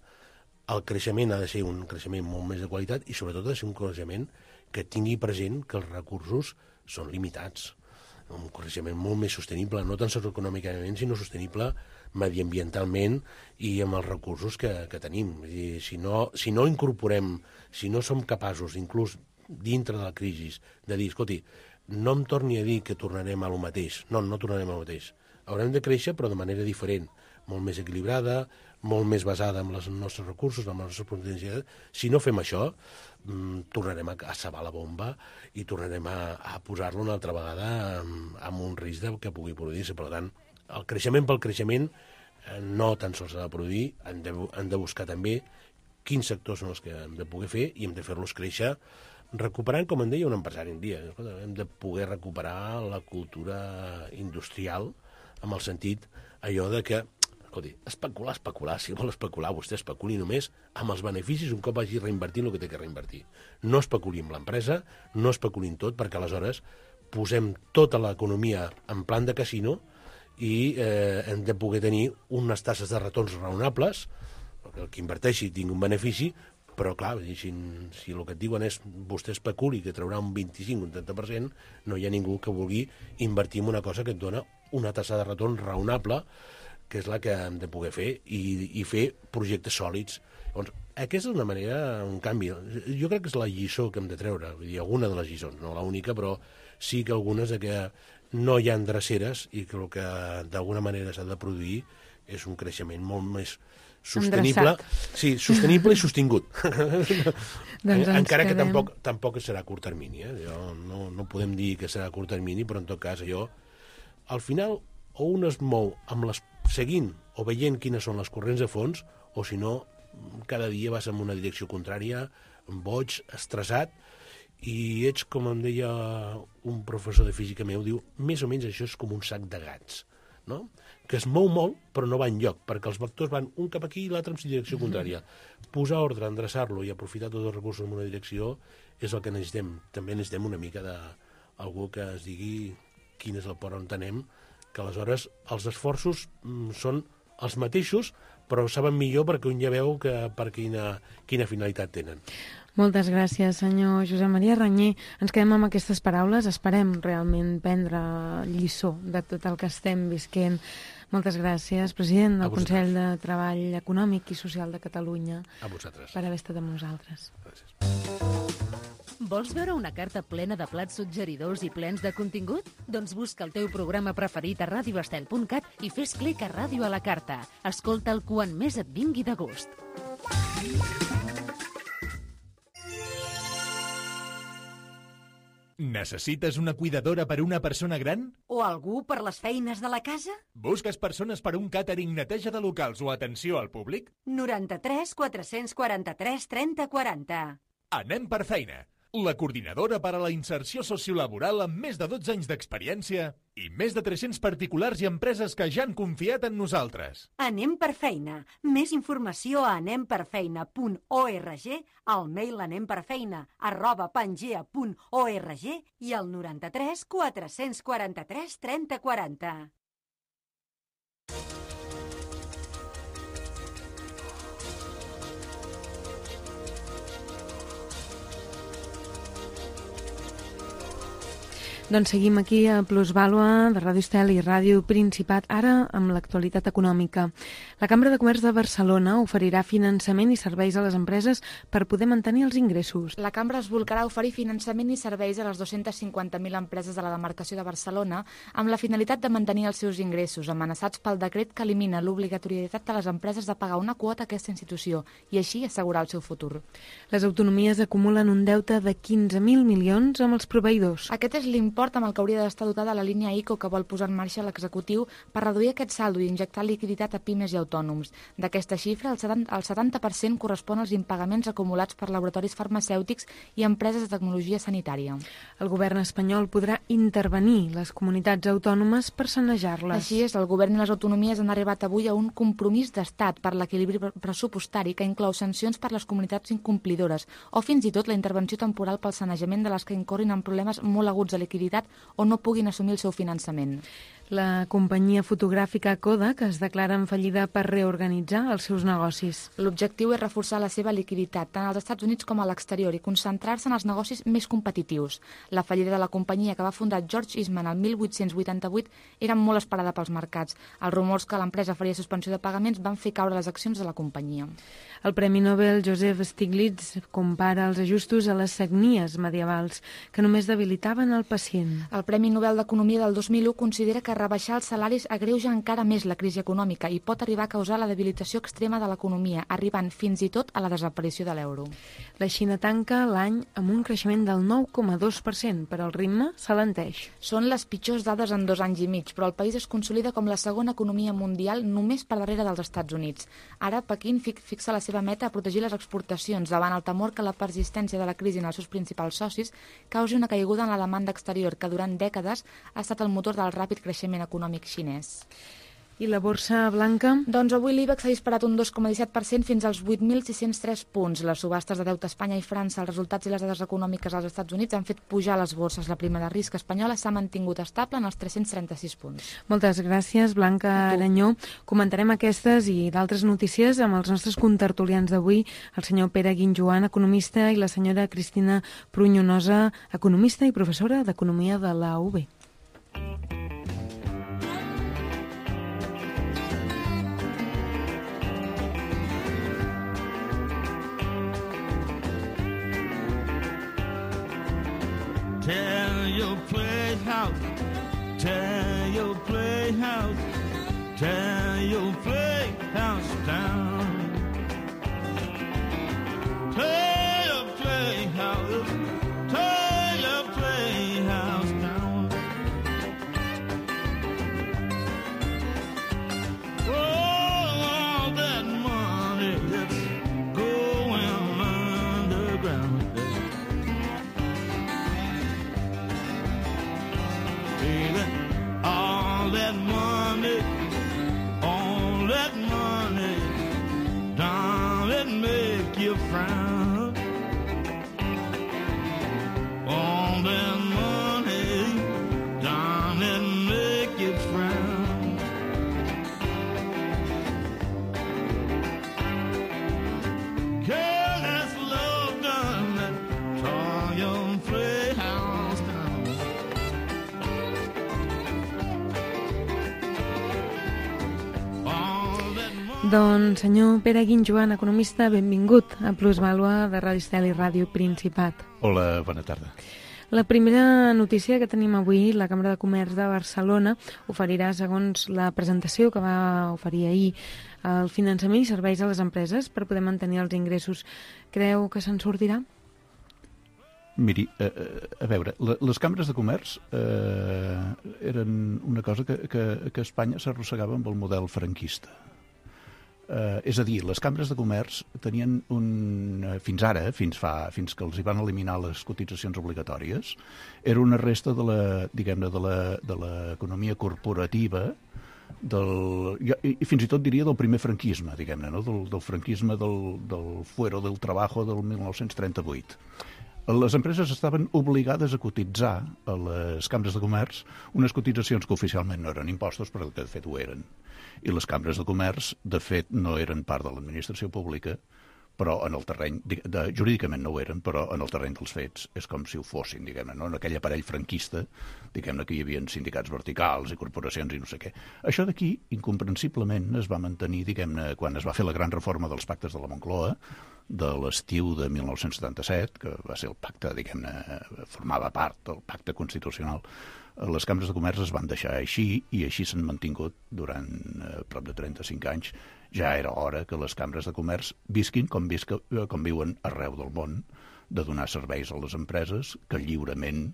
el creixement ha de ser un creixement molt més de qualitat i sobretot ha de ser un creixement que tingui present que els recursos són limitats. Un creixement molt més sostenible, no tan sols econòmicament, sinó sostenible mediambientalment i amb els recursos que tenim. És dir, si no incorporem, si no som capaços, inclús dintre de la crisi, de dir, escolti, no em torni a dir que tornarem a lo mateix. No tornarem a lo mateix. Haurem de créixer, però de manera diferent, molt més equilibrada, molt més basada en els nostres recursos, en les nostres potencialitats. Si no fem això, tornarem a sabar la bomba i tornarem a posar-lo una altra vegada amb un risc que pugui produir-se. Per tant, el creixement pel creixement no tan sols s'ha de produir, hem de buscar també quins sectors són els que hem de poder fer i hem de fer-los créixer recuperant, com em deia un empresari un dia, hem de poder recuperar la cultura industrial amb el sentit allò de que, escolti, especular, si vol especular, vostè especuli només amb els beneficis un cop hagi reinvertit el que té que reinvertir. No especuli amb l'empresa, no especuli en tot, perquè aleshores posem tota l'economia en plan de casino i hem de poder tenir unes tasses de retorns raonables, perquè el que inverteixi tingui un benefici, però clar, si el que et diuen és vostè especuli que traurà un 25 o un 30%, no hi ha ningú que vulgui invertir en una cosa que et dona una tassa de retorn raonable, que és la que hem de poder fer, i fer projectes sòlids. Llavors, aquesta és una manera, un canvi. Jo crec que és la lliçó que hem de treure, vull dir, alguna de les lliçons, no l'única, però sí que algunes de que no hi ha dreceres i que el que d'alguna manera s'ha de produir és un creixement molt més sostenible, sí, sostenible i sostingut. Encara que tampoc serà a curt termini. No podem dir que serà a curt termini, però en tot cas allò, al final, o un es mou seguint o veient quines són les corrents de fons, o si no, cada dia vas en una direcció contrària, boig, estressat, i ets, com em deia un professor de física meu, diu, més o menys això és com un sac de gats, no? Que es mou molt, però no va enlloc, perquè els vectors van un cap aquí i l'altre en direcció contrària. Posar ordre, endreçar-lo i aprofitar tots els recursos en una direcció és el que necessitem. També necessitem una mica d'algú que es digui quin és el port on anem, que aleshores els esforços són els mateixos, però saben millor perquè un ja veu per quina finalitat tenen. Moltes gràcies, senyor Josep Maria Reñé. Ens quedem amb aquestes paraules. Esperem realment prendre lliçó de tot el que estem visquent. Moltes gràcies, president del Consell de Treball Econòmic i Social de Catalunya. A vosaltres. Per haver estat amb nosaltres. Gràcies. Vols veure una carta plena de plats suggeridors i plens de contingut? Doncs busca el teu programa preferit a radioestel.cat i fes clic a Ràdio a la Carta. Escolta'l quan més et vingui de gust. Necessites una cuidadora per una persona gran? O algú per les feines de la casa? Busques persones per un càtering, neteja de locals o atenció al públic? 93 443 30 40. Anem per feina. La coordinadora per a la inserció sociolaboral amb més de 12 anys d'experiència i més de 300 particulars i empreses que ja han confiat en nosaltres. Anem per feina. Més informació a anemperfeina.org, al mail anemperfeina@pangea.org i al 93 443 30 40. Doncs seguim aquí a Plusvàlua de Ràdio Estel i Ràdio Principat, ara amb l'actualitat econòmica. La Cambra de Comerç de Barcelona oferirà finançament i serveis a les empreses per poder mantenir els ingressos. La Cambra es volcarà a oferir finançament i serveis a les 250.000 empreses de la demarcació de Barcelona amb la finalitat de mantenir els seus ingressos, amenaçats pel decret que elimina l'obligatorietat de les empreses de pagar una quota a aquesta institució i així assegurar el seu futur. Les autonomies acumulen un deute de 15.000 milions amb els proveïdors. Aquest és l'import import amb el que hauria d'estar dotada la línia ICO que vol posar en marxa l'executiu per reduir aquest saldo i injectar liquiditat a pimes i autònoms. D'aquesta xifra, el 70% correspon als impagaments acumulats per laboratoris farmacèutics i empreses de tecnologia sanitària. El govern espanyol podrà intervenir les comunitats autònomes per sanejar-les. Així és, el govern i les autonomies han arribat avui a un compromís d'estat per l'equilibri pressupostari que inclou sancions per les comunitats incomplidores o fins i tot la intervenció temporal pel sanejament de les que incorrin en problemes molt aguts de liquiditat o no puguin assumir el seu finançament. La companyia fotogràfica Kodak es declara en fallida per reorganitzar els seus negocis. L'objectiu és reforçar la seva liquiditat tant als Estats Units com a l'exterior i concentrar-se en els negocis més competitius. La fallida de la companyia que va fundar George Eastman el 1888 era molt esperada pels mercats. Els rumors que l'empresa faria suspensió de pagaments van fer caure les accions de la companyia. El Premi Nobel Joseph Stiglitz compara els ajustos a les sagnies medievals que només debilitaven el pacient. El Premi Nobel d'Economia del 2001 considera que rebaixar els salaris agreuja encara més la crisi econòmica i pot arribar a causar la debilitació extrema de l'economia, arribant fins i tot a la desaparició de l'euro. La Xina tanca l'any amb un creixement del 9,2%, però el ritme s'alenteix. Són les pitjors dades en 2 anys i mig, però el país es consolida com la segona economia mundial només per darrere dels Estats Units. Ara, Pequín fixa la seva meta a protegir les exportacions davant el temor que la persistència de la crisi en els seus principals socis causi una caiguda en la demanda exterior que durant dècades ha estat el motor del ràpid creixement econòmic xinès. I la borsa blanca? Doncs avui l'IBEX s'ha disparat un 2,17% fins als 8.603 punts. Les subhastes de deute a Espanya i França, els resultats i les dades econòmiques als Estats Units han fet pujar les borses. La prima de risc espanyola s'ha mantingut estable en els 336 punts. Moltes gràcies, Blanca Aranyó. Comentarem aquestes i d'altres notícies amb els nostres contertulians d'avui, el senyor Pere Guinjoan, economista, i la senyora Cristina Prunyonosa, economista i professora d'Economia de la UB. Tear your playhouse, tear your playhouse, tear your playhouse down. Tear your playhouse, tear your playhouse down. Oh, all that money that's going underground. All that money, don't it make you frown? All that money, don't it make you frown? Girl, that's love done that tore your playhouse down. Doncs, senyor Pere Guinjoan, economista, benvingut a Plusvàlua de Ràdio Estel i Ràdio Principat. Hola, bona tarda. La primera notícia que tenim avui, la Cambra de Comerç de Barcelona oferirà, segons la presentació que va oferir ahir, el finançament i serveis a les empreses per poder mantenir els ingressos. Creu que se'n sortirà? Miri, a veure, les cambres de comerç eren una cosa que Espanya s'arrossegava amb el model franquista. És a dir, les cambres de comerç tenien fins ara, fins que els hi van eliminar les cotitzacions obligatòries, era una resta de l'economia corporativa, i fins i tot diria del primer franquisme, diguem-ne, no? del franquisme del fuero del trabajo del 1938. Les empreses estaven obligades a cotitzar a les cambres de comerç unes cotitzacions que oficialment no eren impostos, però que de fet ho eren. I les cambres de comerç, de fet, no eren part de l'administració pública, però en el terreny, jurídicament no ho eren, però en el terreny dels fets és com si ho fossin, diguem-ne, no? En aquell aparell franquista, diguem-ne que hi havia sindicats verticals i corporacions i no sé què. Això d'aquí, incomprensiblement, es va mantenir, diguem-ne, quan es va fer la gran reforma dels pactes de la Moncloa, de l'estiu de 1977, que va ser el pacte, diguem-ne, formava part del pacte constitucional. Les cambres de comerç es van deixar així i així s'han mantingut durant prop de 35 anys. Ja era hora que les cambres de comerç visquin com viuen arreu del món, de donar serveis a les empreses que lliurement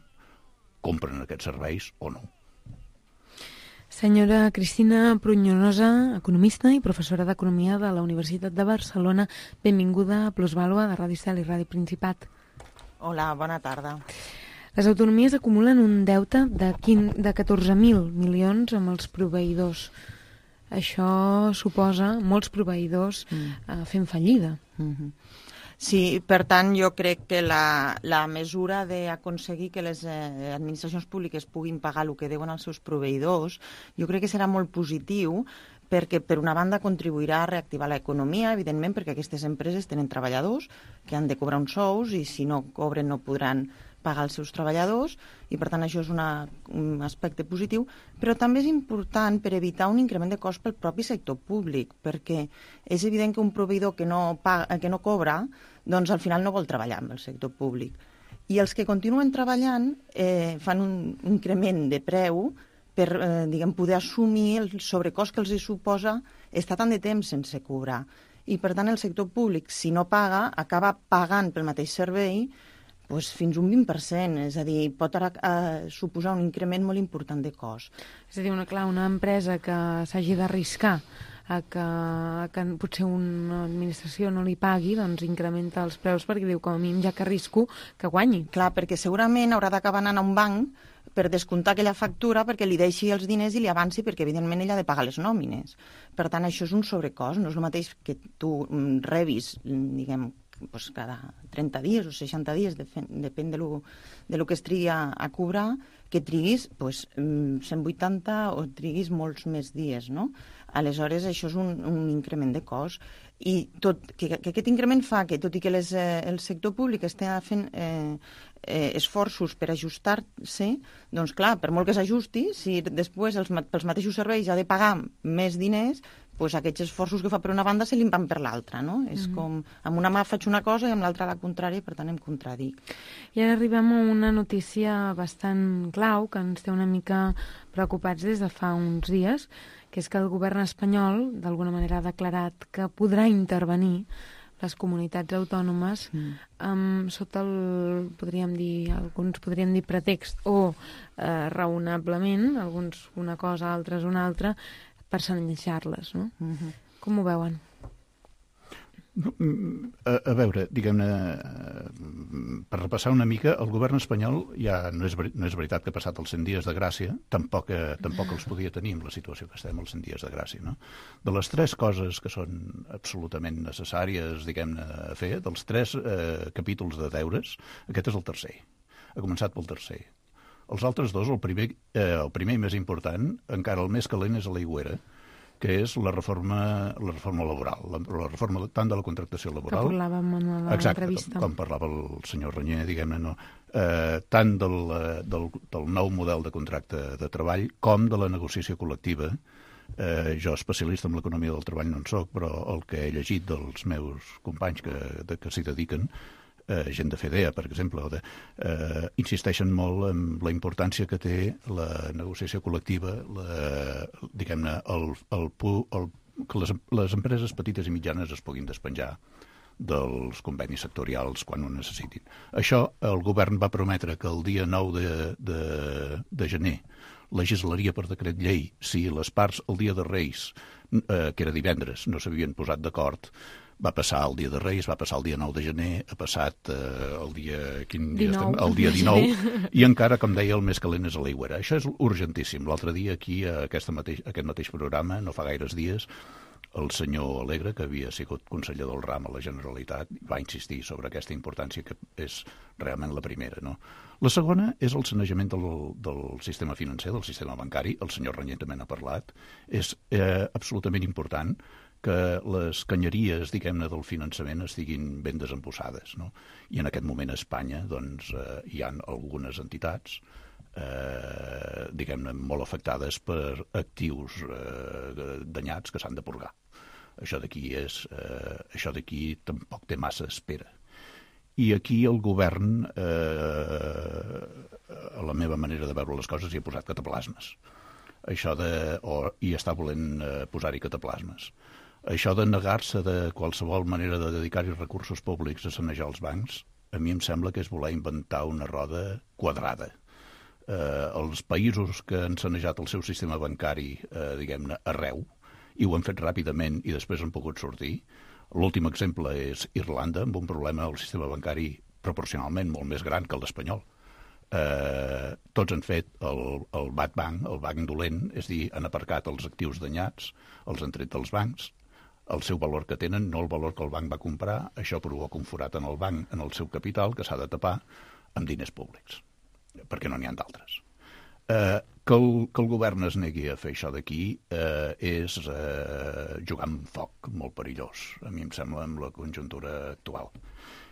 compren aquests serveis o no. Senyora Cristina Pruñonosa, economista i professora d'Economia de la Universitat de Barcelona, benvinguda a Plusvàlua de Ràdio Estel i Ràdio Principat. Hola, bona tarda. Les autonomies acumulen un deute de 14.000 milions amb els proveïdors. Això suposa molts proveïdors fent fallida. Sí, per tant, jo crec que la mesura d'aconseguir que les administracions públiques puguin pagar el que deuen als seus proveïdors, jo crec que serà molt positiu, perquè per una banda contribuirà a reactivar l'economia, evidentment, perquè aquestes empreses tenen treballadors que han de cobrar uns sous i si no cobren no podran pagar els seus treballadors i per tant això és un aspecte positiu, però també és important per evitar un increment de cost pel propi sector públic, perquè és evident que un proveïdor que no cobra, doncs al final no vol treballar amb el sector públic. I els que continuen treballant fan un increment de preu per poder assumir el sobrecost que els suposa estar tant de temps sense cobrar. I per tant el sector públic, si no paga, acaba pagant pel mateix servei fins un 20%, és a dir, pot suposar un increment molt important de cost. És a dir, una empresa que s'hagi d'arriscar que potser una administració no li pagui, doncs incrementa els preus perquè diu, com a mínim, ja que arrisco, que guanyi. Clar, perquè segurament haurà d'acabar anant a un banc per descomptar aquella factura perquè li deixi els diners i li avanci, perquè evidentment ella ha de pagar les nòmines. Per tant, això és un sobrecost, no és el mateix que tu rebis, cada 30 dies o 60 dies, depèn de lo que es trigui a cobrar, que triguis 180 o triguis molts més dies, no? Aleshores, això és un increment de cost. I que aquest increment fa que, tot i que el sector públic està fent esforços per ajustar-se, doncs clar, per molt que s'ajusti, si després pels mateixos serveis ha de pagar més diners, doncs aquests esforços que fa per una banda se li van per l'altra, no? És com, amb una mà faig una cosa i amb l'altra la contrària, per tant em contradic. I ara arribem a una notícia bastant clau, que ens té una mica preocupats des de fa uns dies, que és que el govern espanyol, d'alguna manera, ha declarat que podrà intervenir les comunitats autònomes sota el, alguns podríem dir pretext o raonablement, alguns una cosa, altres una altra, per sanejar-les, no? Com ho veuen? A veure, diguem-ne, per repassar una mica, el govern espanyol ja no és veritat que ha passat els 100 dies de gràcia, tampoc els podia tenir amb la situació que estem, els 100 dies de gràcia, no? De les 3 coses que són absolutament necessàries, diguem-ne, a fer, dels 3 capítols de deures, aquest és el tercer. Ha començat pel tercer. Els altres 2, el primer i més important, encara el més calent és a l'aigüera, que és la reforma laboral, la reforma tant de la contractació laboral... Que parlàvem en l'entrevista. Exacte, com parlava el senyor Renyer, diguem-ne, no, tant del nou model de contracte de treball com de la negociació col·lectiva. Jo, especialista en l'economia del treball, no en soc, però el que he llegit dels meus companys que s'hi dediquen, gent de FEDEA, per exemple, insisteixen molt en la importància que té la negociació col·lectiva, diguem-ne, que les empreses petites i mitjanes es puguin despenjar dels convenis sectorials quan ho necessitin. Això el govern va prometre que el dia 9 de gener legislaria per decret llei si les parts el dia de Reis, que era divendres, no s'havien posat d'acord. Va passar el dia de Reis, va passar el dia 9 de gener, ha passat el dia 19, i encara, com deia, el més calent és a l'aigüera. Això és urgentíssim. L'altre dia aquí, a aquest mateix programa, no fa gaires dies, el senyor Alegre, que havia sigut conseller del RAM a la Generalitat, va insistir sobre aquesta importància que és realment la primera, no? La segona és el sanejament del sistema financer, del sistema bancari. El senyor Renyer també n'ha parlat. És absolutament important que les canyeries, diguem-ne, del finançament estiguin ben desembussades, no? I en aquest moment a Espanya, doncs, hi ha algunes entitats, diguem-ne, molt afectades per actius danyats que s'han de purgar. Això d'aquí tampoc té massa espera. I aquí el govern, a la meva manera de veure les coses, hi ha posat cataplasmes. I està volent posar-hi cataplasmes. Això de negar-se de qualsevol manera de dedicar-hi recursos públics a sanejar els bancs, a mi em sembla que és voler inventar una roda quadrada. els països que han sanejat el seu sistema bancari, diguem-ne, arreu, i ho han fet ràpidament i després han pogut sortir. L'últim exemple és Irlanda, amb un problema del sistema bancari proporcionalment molt més gran que el d'espanyol. Tots han fet el bad bank, el banc dolent, és a dir, han aparcat els actius danyats, els han tret dels bancs, el seu valor que tenen, no el valor que el banc va comprar, això provoca un forat en el banc, en el seu capital, que s'ha de tapar amb diners públics, perquè no n'hi ha d'altres. Que el govern es negui a fer això d'aquí és jugar amb foc molt perillós, a mi em sembla, amb la conjuntura actual.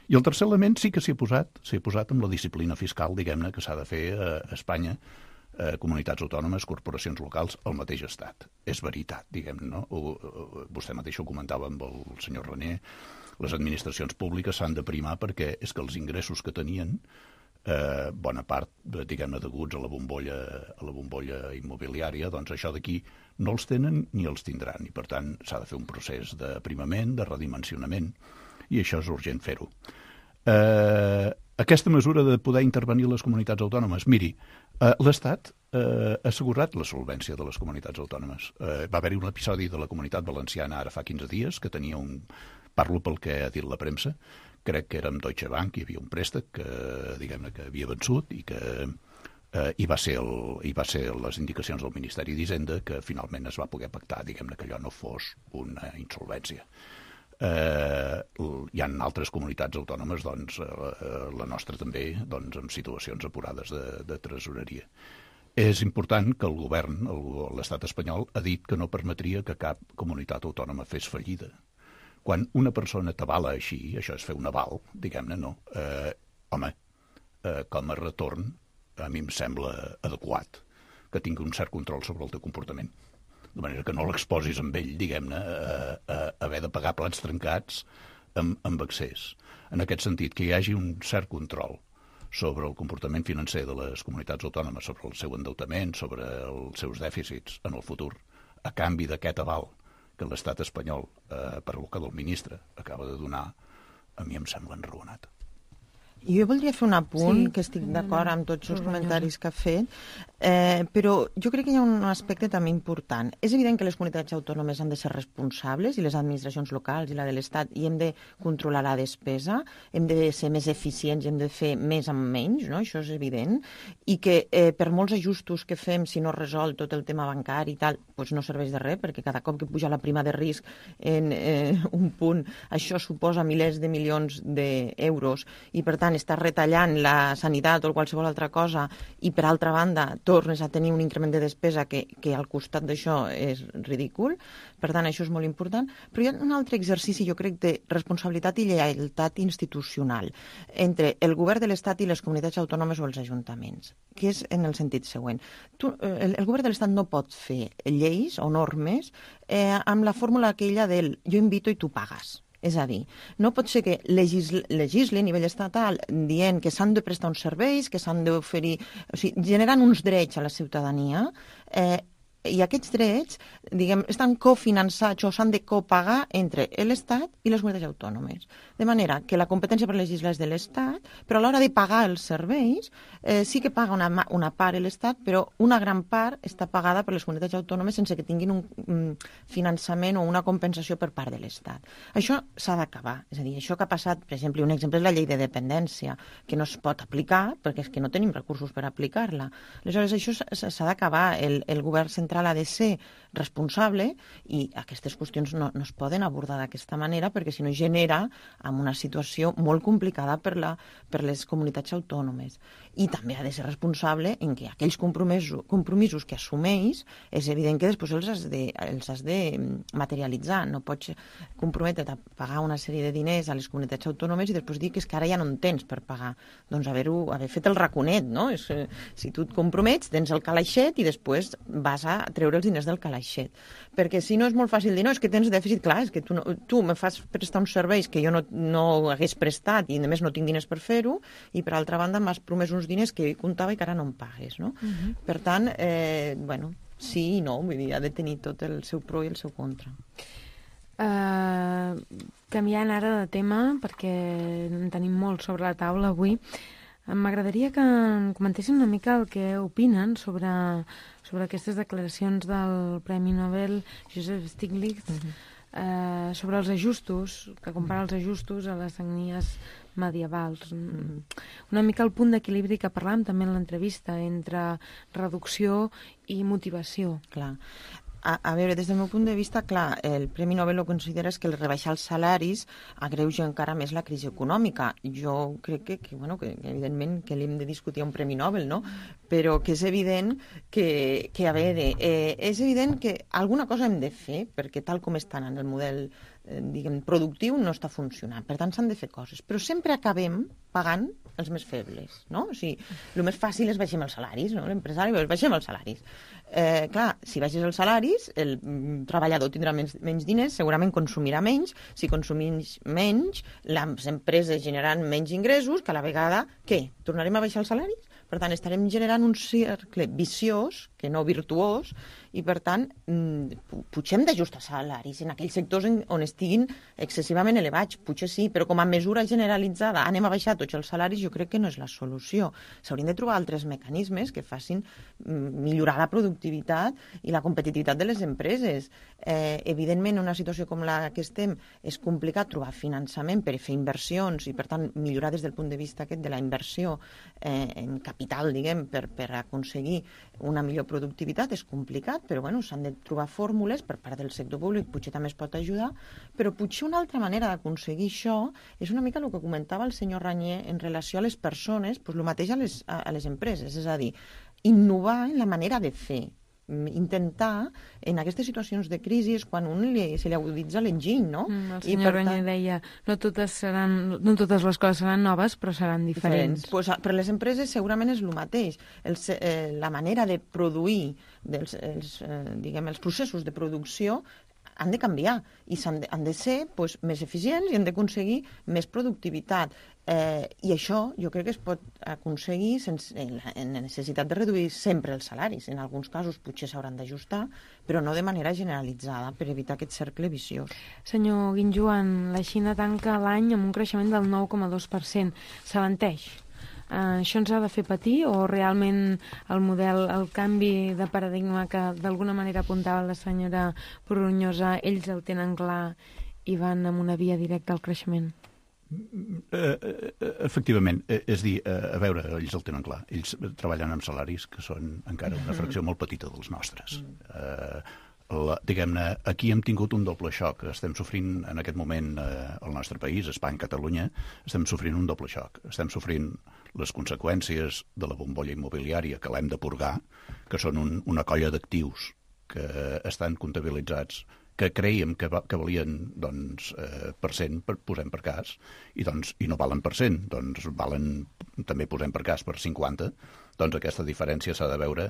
I el tercer element sí que s'hi ha posat amb la disciplina fiscal, diguem-ne, que s'ha de fer a Espanya, comunitats autònomes, corporacions locals, el mateix estat. És veritat, diguem-ne, no? Vostè mateix ho comentava amb el senyor René, les administracions públiques s'han de primar perquè és que els ingressos que tenien, bona part, diguem-ne, deguts a la bombolla immobiliària, doncs això d'aquí no els tenen ni els tindran, i per tant s'ha de fer un procés d'aprimament, de redimensionament, i això és urgent fer-ho. Aquesta mesura de poder intervenir les comunitats autònomes, miri, l'Estat ha assegurat la solvència de les comunitats autònomes. Va haver-hi un episodi de la Comunitat Valenciana ara fa 15 dies que tenia parlo pel que ha dit la premsa, crec que era amb Deutsche Bank, hi havia un préstec que, diguem-ne, que havia vençut i que i va ser les indicacions del Ministeri d'Hisenda que finalment es va poder pactar, diguem-ne, que allò no fos una insolvència. Hi ha altres comunitats autònomes, doncs, la nostra també, doncs, amb situacions apurades de tresoreria. És important que el govern, l'estat espanyol, ha dit que no permetria que cap comunitat autònoma fes fallida. Quan una persona t'avala així, això és fer un aval, diguem-ne, no? Home, com a retorn, a mi em sembla adequat que tingui un cert control sobre el teu comportament. De manera que no l'exposis amb ell, diguem-ne, a haver de pagar plats trencats amb excés. En aquest sentit, que hi hagi un cert control sobre el comportament financer de les comunitats autònomes, sobre el seu endeutament, sobre els seus dèficits en el futur, a canvi d'aquest aval que l'estat espanyol, per boca del ministre, acaba de donar, a mi em sembla enraonat. Jo voldria fer un apunt, que estic d'acord amb tots els comentaris que ha fet, però jo crec que hi ha un aspecte també important. És evident que les comunitats autònomes han de ser responsables, i les administracions locals i la de l'Estat, i hem de controlar la despesa, hem de ser més eficients, hem de fer més amb menys, no? Això és evident, i que per molts ajustos que fem, si no resol tot el tema bancari i tal, doncs no serveix de res, perquè cada cop que puja la prima de risc en un punt, això suposa milers de milions d'euros, i per tant estàs retallant la sanitat o qualsevol altra cosa i per altra banda tornes a tenir un increment de despesa que al costat d'això és ridícul. Per tant, això és molt important. Però hi ha un altre exercici, jo crec, de responsabilitat i lleialtat institucional entre el govern de l'Estat i les comunitats autònomes o els ajuntaments, que és en el sentit següent. El govern de l'Estat no pot fer lleis o normes amb la fórmula aquella del jo invito i tu pagues. És a dir, no pot ser que legisli a nivell estatal dient que s'han de prestar uns serveis, que s'han d'oferir, o sigui, generant uns drets a la ciutadania, i aquests drets, diguem, estan cofinançats o s'han de copagar entre l'Estat i les comunitats autònomes. De manera que la competència per legislar és de l'Estat, però a l'hora de pagar els serveis sí que paga una part l'Estat, però una gran part està pagada per les comunitats autònomes sense que tinguin un finançament o una compensació per part de l'Estat. Això s'ha d'acabar. És a dir, això que ha passat, per exemple, un exemple és la llei de dependència, que no es pot aplicar perquè és que no tenim recursos per aplicar-la. Aleshores, això s'ha d'acabar. El govern central ha de ser responsable i aquestes qüestions no es poden abordar d'aquesta manera perquè si no genera en una situació molt complicada per les comunitats autònomes. I també ha de ser responsable en que aquells compromisos que assumeix és evident que després els has de materialitzar. No pots comprometre't a pagar una sèrie de diners a les comunitats autònomes i després dir que és que ara ja no en tens per pagar. Doncs haver fet el raconet, no? Si tu et compromets, tens el calaixet i després vas a treure els diners del calaixet. Perquè si no és molt fàcil dir, no, és que tens dèficit, clar, és que tu me fas prestar uns serveis que jo no hagués prestat i a més no tinc diners per fer-ho i per altra banda m'has promès uns diners que jo hi comptava i que ara no em pagues, no? Per tant, sí i no, vull dir, ha de tenir tot el seu pro i el seu contra. Canviant ara de tema, perquè en tenim molt sobre la taula avui, M'agradaria que em comentessin una mica el que opinen sobre aquestes declaracions del Premi Nobel Joseph Stiglitz, sobre els ajustos, que compara els ajustos a les sagnies medievals. Una mica el punt d'equilibri que parlàvem també en l'entrevista entre reducció i motivació. Clar. A veure, des del meu punt de vista, clar, el Premi Nobel ho considera que el rebaixar els salaris agreuja encara més la crisi econòmica. Jo crec que evidentment que l'hem de discutir a un Premi Nobel, no? Però que és evident que a veure, és evident que alguna cosa hem de fer, perquè tal com estan en el model productiu no està funcionant. Per tant, s'han de fer coses. Però sempre acabem pagant els més febles, no? O sigui, el més fàcil és baixem els salaris, no? L'empresari, baixem els salaris. Clar, si baixes els salaris, el treballador tindrà menys diners, segurament consumirà menys. Si consumís menys, les empreses generaran menys ingressos, que a la vegada, què? Tornarem a baixar els salaris? Per tant, estarem generant un cercle viciós, que no virtuós, i per tant, potser hem d'ajustar salaris en aquells sectors on estiguin excessivament elevats. Potser sí, però com a mesura generalitzada anem a baixar tots els salaris, jo crec que no és la solució. S'haurien de trobar altres mecanismes que facin millorar la productivitat i la competitivitat de les empreses. Evidentment, en una situació com la que estem, és complicat trobar finançament per fer inversions i, per tant, millorar des del punt de vista aquest de la inversió en capital, diguem, per aconseguir una millor productivitat. És complicat, però bueno, s'han de trobar fórmules per part del sector públic, potser també es pot ajudar, però potser una altra manera d'aconseguir això és una mica el que comentava el senyor Ranyer en relació a les persones, doncs el mateix a les empreses, és a dir, innovar en la manera de fer, intentar, en aquestes situacions de crisi, és quan se li aguditza l'enginy, no? El senyor Ranyer deia, no totes les coses seran noves, però seran diferents. Pues, per les empreses segurament és el mateix. La manera de produir, els processos de producció han de canviar i han de ser més eficients i han d'aconseguir més productivitat. I això jo crec que es pot aconseguir sense la necessitat de reduir sempre els salaris. En alguns casos potser s'hauran d'ajustar, però no de manera generalitzada per evitar aquest cercle viciós. Senyor Guinjoan, la Xina tanca l'any amb un creixement del 9,2%. S'alenteix? Això ens ha de fer patir o realment el canvi de paradigma que d'alguna manera apuntava la senyora Brunyosa, ells el tenen clar i van amb una via directa al creixement? Efectivament, és dir, a veure, ells el tenen clar. Ells treballen amb salaris que són encara una fracció molt petita dels nostres. Diguem-ne, aquí hem tingut un doble xoc. Estem sofrint en aquest moment al nostre país, Espanya, Catalunya, estem sofrint un doble xoc. Estem sofrint les conseqüències de la bombolla immobiliària que l'hem de purgar, que són una colla d'actius que estan comptabilitzats, que creiem que valien per cent, posem per cas, i no valen per cent, doncs valen, també posem per cas, per 50, doncs aquesta diferència s'ha de veure.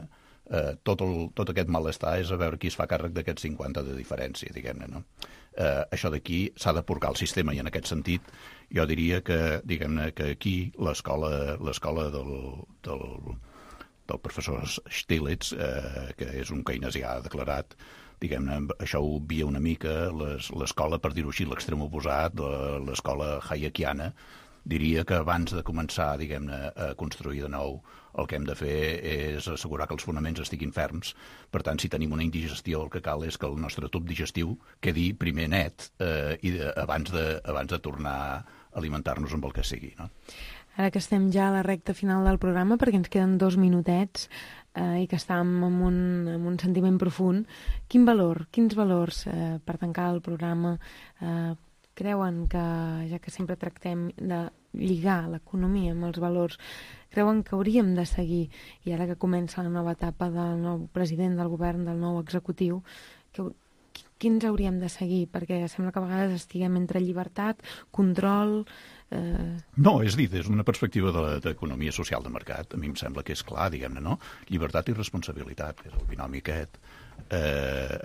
Tot aquest malestar és a veure qui es fa càrrec d'aquests 50 de diferència, diguem-ne, no? Això d'aquí s'ha de purgar el sistema i en aquest sentit jo diria que, diguem-ne, que aquí l'escola del professor Stiglitz, que és un keynesià declarat, diguem-ne, això ho obvia una mica l'escola, per dir-ho així, l'extrem oposat, l'escola hayekiana. Diria que abans de començar, diguem-ne, a construir de nou, el que hem de fer és assegurar que els fonaments estiguin ferms. Per tant, si tenim una indigestió, el que cal és que el nostre tub digestiu quedi primer net abans de tornar a alimentar-nos amb el que sigui, no? Ara que estem ja a la recta final del programa, perquè ens queden 2 minutets i que estàvem amb un sentiment profund, quins valors per tancar el programa creuen que, ja que sempre tractem de lligar l'economia amb els valors, creuen que hauríem de seguir, i ara que comença la nova etapa del nou president del govern, del nou executiu, quins hauríem de seguir? Perquè sembla que a vegades estiguem entre llibertat, control... No, és dir, des d'una perspectiva d'economia social de mercat, a mi em sembla que és clar, diguem-ne, no? Llibertat i responsabilitat, que és el binomi aquest.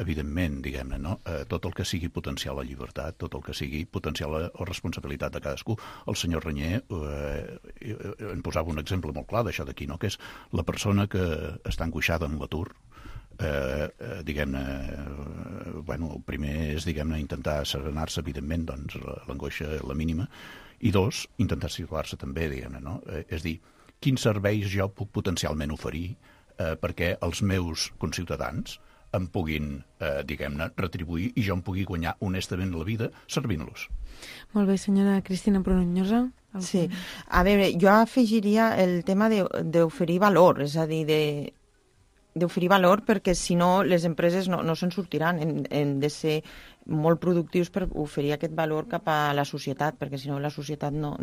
Evidentment, diguem-ne, no? Tot el que sigui potenciar la llibertat, tot el que sigui potenciar la responsabilitat de cadascú. El senyor Ranyer en posava un exemple molt clar d'això d'aquí, no? Que és la persona que està angoixada en l'atur, diguem-ne, bueno, el primer és, diguem-ne, intentar serenar-se, evidentment, doncs l'angoixa la mínima, i 2, intentar situar-se també, diguem-ne, no? És dir, quins serveis jo puc potencialment oferir perquè els meus conciutadans em puguin, diguem-ne, retribuir i jo em pugui guanyar honestament la vida servint-los. Molt bé, senyora Cristina Pronyosa. Sí, a veure, jo afegiria el tema d'oferir valor, és a dir, d'oferir valor perquè si no les empreses no se'n sortiran, hem de ser molt productius per oferir aquest valor cap a la societat, perquè si no la societat no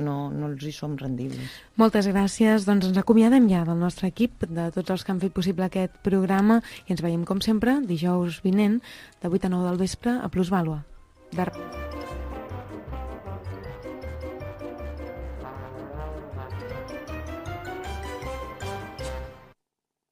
els hi som rendibles. Moltes gràcies. Doncs ens acomiadem ja del nostre equip, de tots els que han fet possible aquest programa i ens veiem com sempre dijous vinent de 8 a 9 del vespre a Plusvàlua.